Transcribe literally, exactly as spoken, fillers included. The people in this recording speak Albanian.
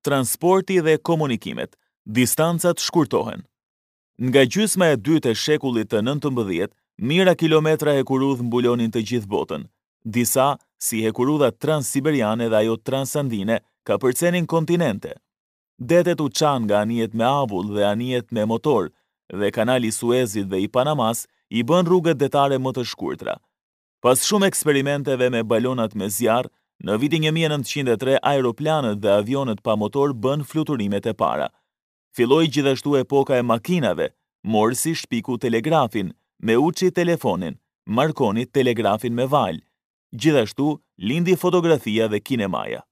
Transporti dhe komunikimet. Distancat shkurtohen. Nga gjysma e dytë e shekullit të nëntëmbëdhjetë, mijëra kilometra hekurudhë mbulonin të gjithë botën. Disa, si hekurudha transsiberiane dhe ajo transandine, kapërcenin kontinente. Detet u çanë nga anijet me avull dhe anijet me motor, dhe kanali i Suezit dhe i Panamasë i bënë rrugët detare më të shkurtra. Pas shumë eksperimenteve me balonat me zjarr, në vitin një mijë e nëntëqind e tre aeroplanët dhe avionët pa motor bënë fluturimet e para. Filloi gjithashtu epoka e makinave, Morsi shpiku telegrafin, Meucci telefonin, Marconi telegrafin me valë. Gjithashtu, lindi fotografia dhe kinemaja.